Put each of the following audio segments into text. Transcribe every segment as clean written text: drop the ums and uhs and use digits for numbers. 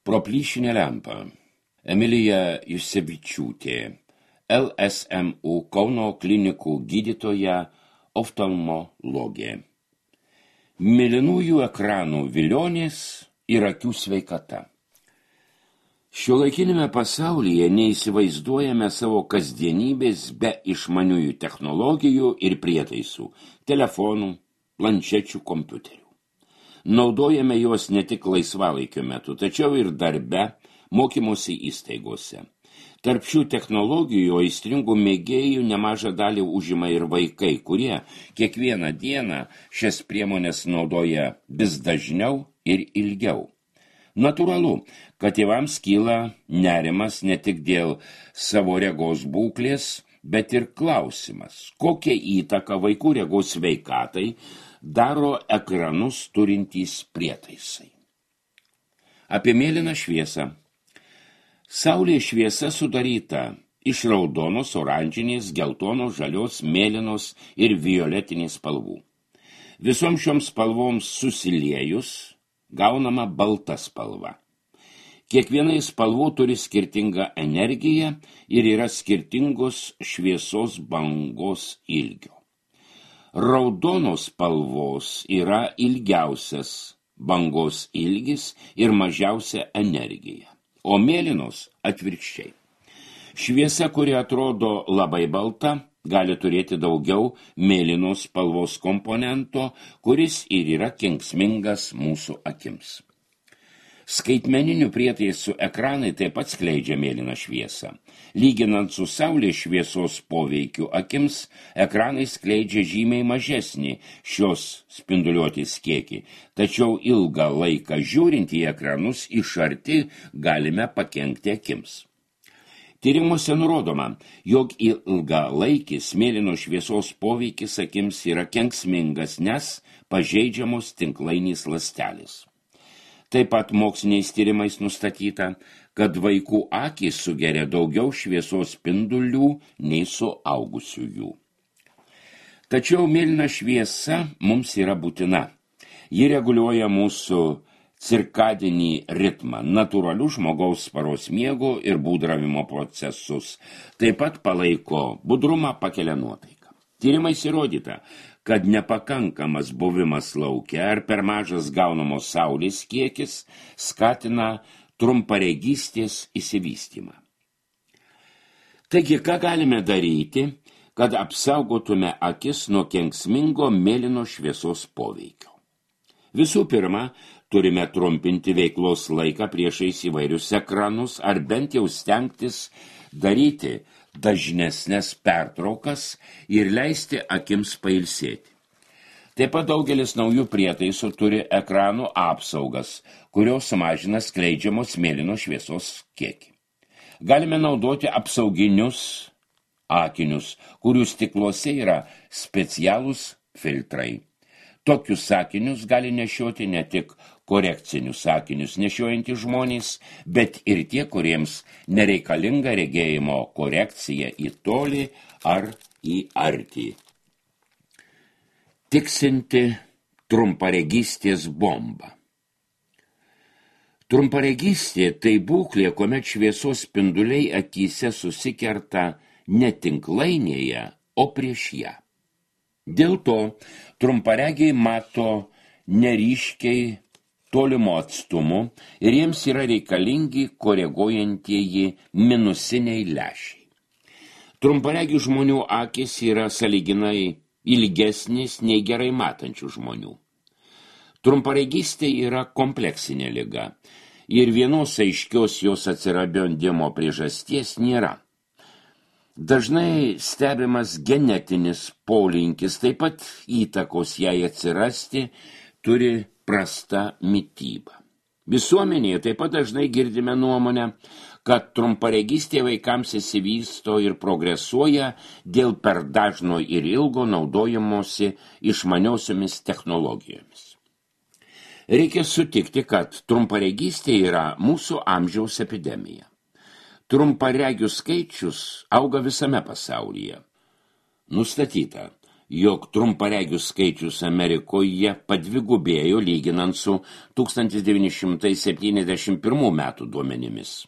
Proplyšinė lempa. Emilija Jusevičiūtė, LSMU Kauno klinikų gydytoja, oftalmologė. Mėlynųjų ekranų vilionės ir akių sveikata. Šiuolaikinėme pasaulyje neįsivaizduojame savo kasdienybės be išmaniųjų technologijų ir prietaisų, telefonų, planšečių, kompiuterių. Naudojame juos ne tik laisvalaikio metu, tačiau ir darbe, mokymosi įstaigose. Tarp šių technologijų aistringų mėgėjų nemažą dalį užima ir vaikai, kurie kiekvieną dieną šias priemonės naudoja vis dažniau ir ilgiau. Natūralu, kad tėvams kyla nerimas ne tik dėl savo regos būklės, bet ir klausimas, kokią įtaką vaikų regos sveikatai daro ekranus turintys prietaisai. Apie mėlyną šviesą. Saulės šviesa sudaryta iš raudonos, oranžinės, geltonos, žalios, mėlynos ir violetinės spalvų. Visoms šioms spalvoms susiliejus gaunama balta spalva. Kiekvienai spalvų turi skirtingą energiją ir yra skirtingos šviesos bangos ilgio. Raudonos spalvos yra ilgiausias bangos ilgis ir mažiausia energija, o mėlynos atvirkščiai. Šviesa, kuri atrodo labai balta, gali turėti daugiau mėlynos spalvos komponento, kuris ir yra kenksmingas mūsų akims. Skaitmeninių prietaisų ekranai taip pat skleidžia mėlyną šviesą. Lyginant su saulės šviesos poveikiu akims, ekranai skleidžia žymiai mažesnį šios spinduliuotės kiekį, tačiau ilgą laiką žiūrint į ekranus iš arti galime pakenkti akims. Tyrimuose nurodoma, jog ilgalaikis mėlynos šviesos poveikis akims yra kenksmingas, nes pažeidžiamos tinklainės ląstelės. Taip pat moksliniais tyrimais nustatyta, kad vaikų akys sugeria daugiau šviesos spindulių nei suaugusiųjų. Tačiau mėlyna šviesa mums yra būtina. Ji reguliuoja mūsų cirkadinį ritmą, natūralių žmogaus paros miego ir būdravimo procesus. Taip pat palaiko budrumą, pakelia nuotaiką. Tyrimais įrodyta, kad nepakankamas buvimas lauke ar per mažas gaunamos saulės kiekis skatina trumparegystės išsivystymą. Taigi, ką galime daryti, kad apsaugotume akis nuo kenksmingo mėlyno šviesos poveikio? Visų pirma, turime trumpinti veiklos laiką priešais įvairius ekranus ar bent jau stengtis daryti dažnesnės pertraukas ir leisti akims pailsėti. Taip pat daugelis naujų prietaisų turi ekranų apsaugas, kurios sumažina skleidžiamos mėlynos šviesos kiekį. Galime naudoti apsauginius akinius, kurių stikluose yra specialūs filtrai. Tokius akinius gali nešioti ne tik korekcinius akinius nešiojantys žmonės, bet ir tie, kuriems nereikalinga regėjimo korekcija į tolį ar į artį. Tiksinti trumparegystės bomba. Trumparegystė tai būklė, kuomet šviesos spinduliai akyse susikerta ne tinklainėje, o prieš ją. Dėl to trumparegiai mato neryškiai tolimo atstumu ir jiems yra reikalingi koreguojantieji minusiniai lęšiai. Trumparegių žmonių akys yra sąlyginai ilgesnės nei gerai matančių žmonių. Trumparegystė yra kompleksinė liga ir vienos aiškios jos atsiradimo priežasties nėra. Dažnai stebimas genetinis polinkis, taip pat įtakos jai atsirasti turi prasta mityba. Visuomenėje taip pat dažnai girdime nuomonę, kad trumparegystė vaikams įsivysto ir progresuoja dėl per dažno ir ilgo naudojamosi išmaniosiomis technologijomis. Reikia sutikti, kad trumparegystė yra mūsų amžiaus epidemija. Trumparegių skaičius auga visame pasaulyje. Nustatyta, jog trumparegių skaičius Amerikoje padvigubėjo lyginant su 1971 metų duomenimis.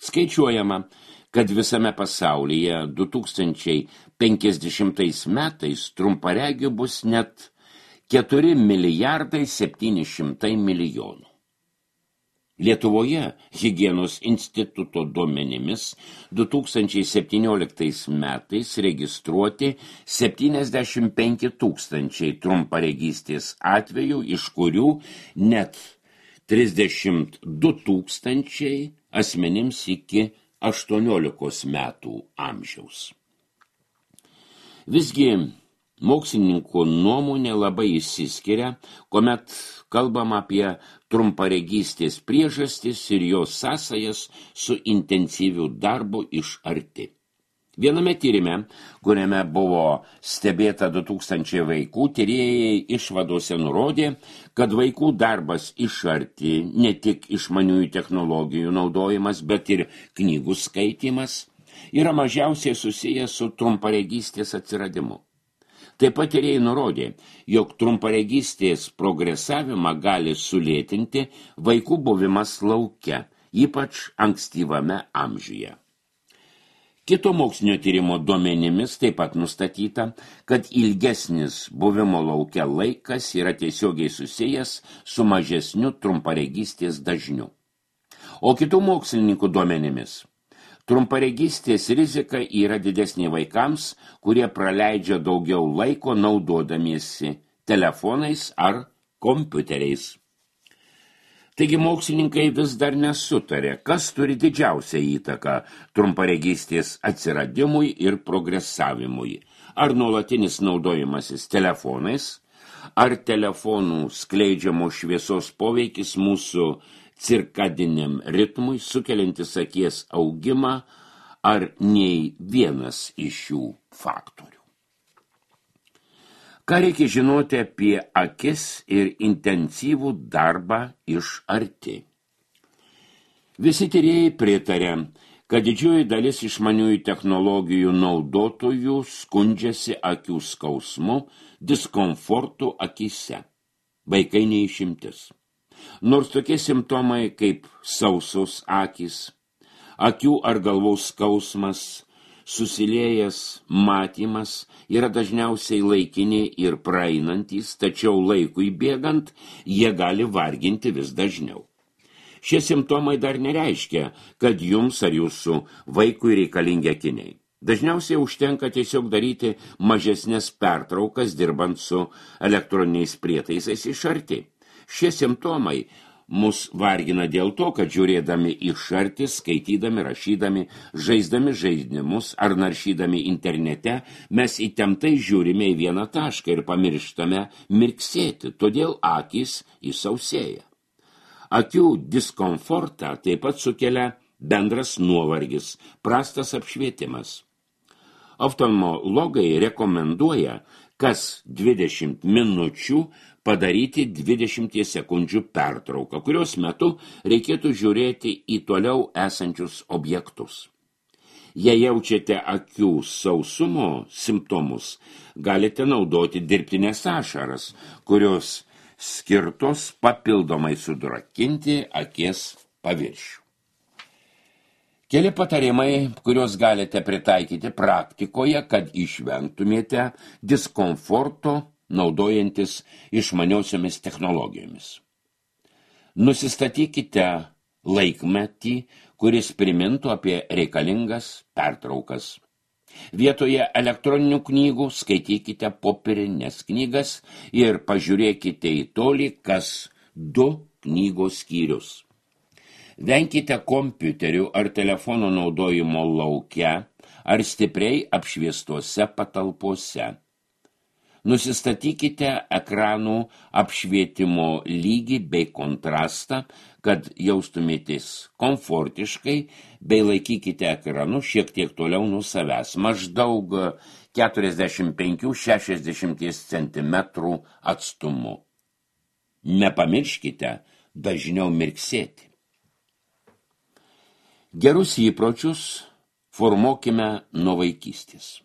Skaičiuojama, kad visame pasaulyje 2050 metais trumparegių bus net 4 milijardai 700 milijonų. Lietuvoje Higienos instituto duomenimis 2017 metais registruoti 75 000 trumparegystės atvejų, iš kurių net 32 000 asmenims iki 18 metų amžiaus. Visgi mokslininkų nuomonė labai išsiskiria, kuomet kalbam apie trumparegystės priežastis ir jos sąsajas su intensyviu darbu iš arti. Viename tyrime, kuriame buvo stebėta 2000 vaikų, tyrėjai išvadose nurodė, kad vaikų darbas iš arti, ne tik išmaniųjų technologijų naudojimas, bet ir knygų skaitymas, yra mažiausiai susijęs su trumparegystės atsiradimu. Taip pat tyrėjai nurodė, jog trumparegystės progresavimą gali sulėtinti vaikų buvimas lauke, ypač ankstyvame amžiuje. Kito mokslinio tyrimo duomenimis taip pat nustatyta, kad ilgesnis buvimo lauke laikas yra tiesiogiai susijęs su mažesniu trumparegystės dažniu. O kitų mokslininkų duomenimis trumparegystės rizika yra didesnė vaikams, kurie praleidžia daugiau laiko naudodamiesi telefonais ar kompiuteriais. Taigi mokslininkai vis dar nesutarė, kas turi didžiausią įtaką trumparegystės atsiradimui ir progresavimui. Ar nuolatinis naudojimasis telefonais, ar telefonų skleidžiamo šviesos poveikis mūsų cirkadiniam ritmui, sukeliantis akies augimą, ar nei vienas iš šių faktorių. Ką reikia žinoti apie akis ir intensyvų darbą iš arti? Visi tyrėjai pritarė, kad didžioji dalis išmaniųjų technologijų naudotojų skundžiasi akių skausmu, diskomfortu akyse. Vaikai neišimtis. Nors tokie simptomai kaip sausos akys, akių ar galvos skausmas, susiliejęs matymas yra dažniausiai laikiniai ir praeinantys, tačiau laikui bėgant jie gali varginti vis dažniau. Šie simptomai dar nereiškia, kad jums ar jūsų vaikui reikalingi akiniai. Dažniausiai užtenka tiesiog daryti mažesnės pertraukas dirbant su elektroniniais prietaisais iš arti. Šie simptomai mus vargina dėl to, kad žiūrėdami iš arti, skaitydami, rašydami, žaisdami žaidimus ar naršydami internete, mes įtemptai žiūrime į vieną tašką ir pamirštame mirksėti, todėl akys įsausėja. Akių diskomfortą taip pat sukelia bendras nuovargis, prastas apšvietimas. Oftalmologai rekomenduoja kas 20 minučių padaryti 20 sekundžių pertrauką, kurios metu reikėtų žiūrėti į toliau esančius objektus. Jei jaučiate akių sausumo simptomus, galite naudoti dirbtines ašaras, kurios skirtos papildomai sudrakinti akies paviršių. Keli patarimai, kuriuos galite pritaikyti praktikoje, kad išvengtumėte diskomforto naudojantis išmaniosiomis technologijomis. Nusistatykite laikmetį, kuris primintų apie reikalingas pertraukas. Vietoje elektroninių knygų skaitykite popierines knygas ir pažiūrėkite į tolį kas 2 knygos skyrius. Venkite kompiuterių ar telefono naudojimo lauke ar stipriai apšviestuose patalpose. Nusistatykite ekranų apšvietimo lygį bei kontrastą, kad jaustumėtės komfortiškai, bei laikykite ekranus šiek tiek toliau nuo savęs, maždaug 45–60 cm atstumu. Nepamirškite dažniau mirksėti. Gerus įpročius formuokime nuo vaikystės.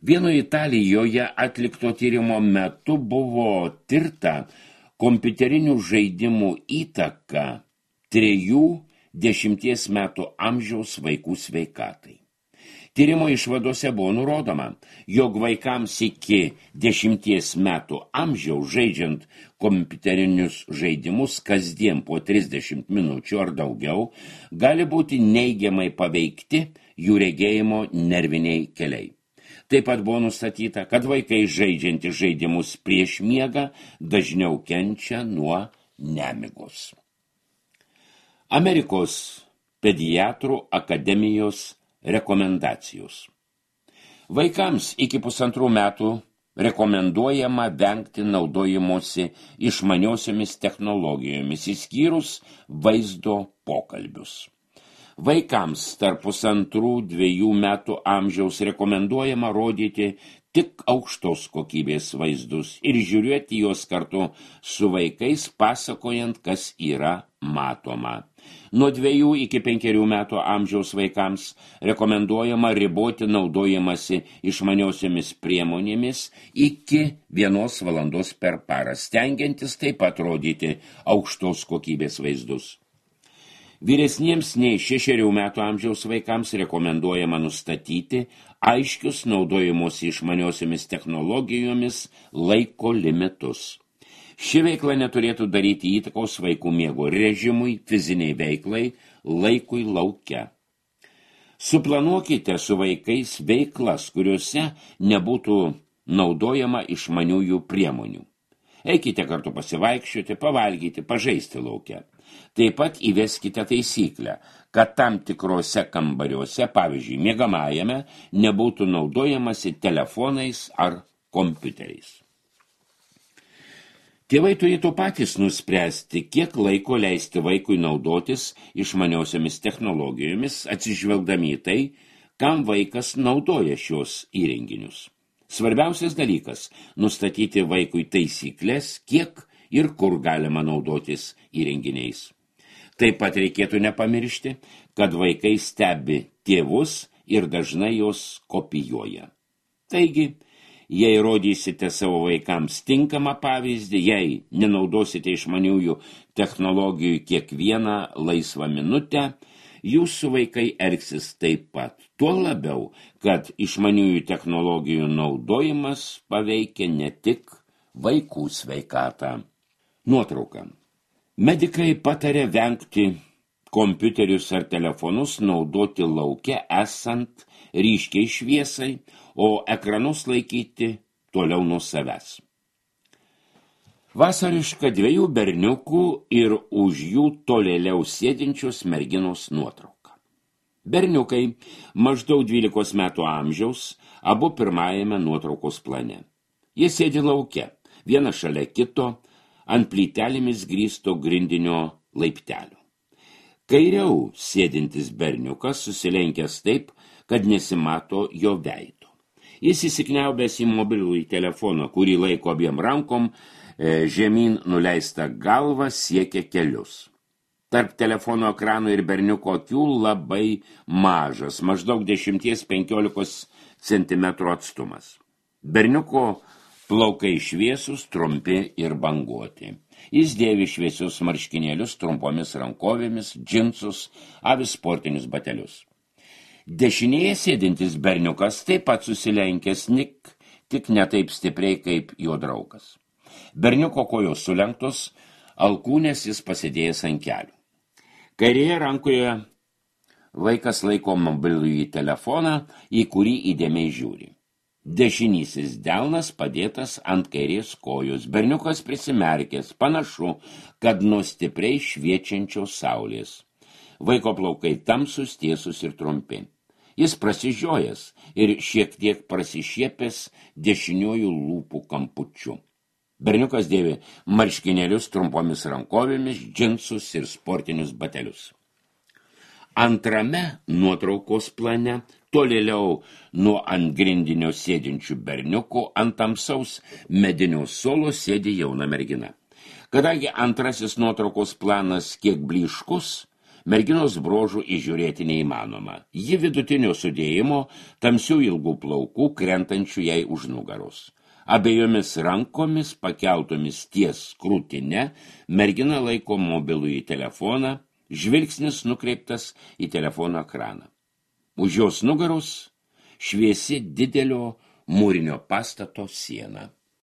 Vieno Italijoje atlikto tyrimo metu buvo tirta kompiuterinių žaidimų įtaka 3–10 metų amžiaus vaikų sveikatai. Tyrimo išvadose buvo nurodoma, jog vaikams iki 10 metų amžiaus žaidžiant kompiuterinius žaidimus kasdien po 30 minučių ar daugiau gali būti neigiamai paveikti jų regėjimo nerviniai keliai. Taip pat buvo nustatyta, kad vaikai žaidžiantys žaidimus prieš miegą dažniau kenčia nuo nemigos. Amerikos pediatrų akademijos rekomendacijos. Vaikams iki 1,5 metų rekomenduojama vengti naudojimosi išmaniosiomis technologijomis, išskyrus vaizdo pokalbius. Vaikams tarp 1,5–2 metų amžiaus rekomenduojama rodyti tik aukštos kokybės vaizdus ir žiūrėti juos kartu su vaikais, pasakojant, kas yra matoma. Nuo 2 iki 5 metų amžiaus vaikams rekomenduojama riboti naudojimąsi išmaniosiomis priemonėmis iki 1 valandos per parą, stengiantis taip pat rodyti aukštos kokybės vaizdus. Vyresniems nei 6 metų amžiaus vaikams rekomenduojama nustatyti aiškius naudojimosi išmaniosiomis technologijomis laiko limitus. Ši veikla neturėtų daryti įtakos vaikų miego režimui, fiziniai veiklai, laikui lauke. Suplanuokite su vaikais veiklas, kuriuose nebūtų naudojama išmaniųjų priemonių. Eikite kartu pasivaikščioti, pavalgyti, pažaisti lauke. Taip pat įveskite taisyklę, kad tam tikrose kambariuose, pavyzdžiui, miegamajame, nebūtų naudojamasi telefonais ar kompiuteriais. Tėvai turėtų patys nuspręsti, kiek laiko leisti vaikui naudotis išmaniosiomis technologijomis, atsižvelgdami į tai, kam vaikas naudoja šios įrenginius. Svarbiausias dalykas – nustatyti vaikui taisyklės, kiek ir kur galima naudotis įrenginiais. Taip pat reikėtų nepamiršti, kad vaikai stebi tėvus ir dažnai jos kopijuoja. Taigi, jei rodysite savo vaikams tinkamą pavyzdį, jei nenaudosite išmaniųjų technologijų kiekvieną laisvą minutę, jūsų vaikai elgsis taip pat. Tuo labiau, kad išmaniųjų technologijų naudojimas paveikia ne tik vaikų sveikatą. Nuotrauka. Medikai patarė vengti kompiuterius ar telefonus naudoti lauke esant ryškiai šviesai, o ekranus laikyti toliau nuo savęs. Vasariška 2 berniukų ir už jų tolėliau sėdinčios merginos nuotrauka. Berniukai maždaug 12 metų amžiaus, abu pirmajame nuotraukos plane. Jie sėdi lauke, vienas šalia kito, ant plytelėmis grįsto grindinio laiptelio. Kairiau sėdintis berniukas susilenkęs taip, kad nesimato jo veido. Jis įsikniaubęs į mobilųjį telefoną, kurį laiko abiem rankom, žemyn nuleista galva siekia kelius. Tarp telefono ekrano ir berniuko akių labai mažas, maždaug 10–15 cm atstumas. Berniuko plaukai šviesus, trumpi ir banguoti. Jis dėvi šviesius marškinėlius trumpomis rankovėmis, džinsus, avi sportinius batelius. Dešinėje sėdintis berniukas taip pat susilenkęs, tik ne taip stipriai kaip jo draugas. Berniuko kojos sulenktos, alkūnės jis pasidėjęs ant kelių. Kairėje rankoje vaikas laiko mobilųjį telefoną, į kurį įdėmiai žiūri. Dešinysis delnas padėtas ant kairės kojos. Berniukas prisimerkęs, panašu, kad nuo stipriai šviečiančios saulės. Vaiko plaukai tamsus, tiesus ir trumpi. Jis prasižiojęs ir šiek tiek prasišiepęs dešiniųjų lūpų kampučiu. Berniukas dėvi marškinėlius trumpomis rankovėmis, džinsus ir sportinius batelius. Antrame nuotraukos plane, tolėliau nuo ant grindinio sėdinčių berniukų, ant tamsaus medinio suolo sėdi jauna mergina. Kadangi antrasis nuotraukos planas kiek blyškus, Merginos brožų įžiūrėti neįmanoma. Ji vidutinio sudėjimo, tamsių ilgų plaukų, krentančių jai už nugaros. Abiejomis rankomis pakeltomis ties krūtine, mergina laiko mobilųjį telefoną, žvilgsnis nukreiptas į telefono ekraną. Už jos nugaros šviesi didelio mūrinio pastato siena.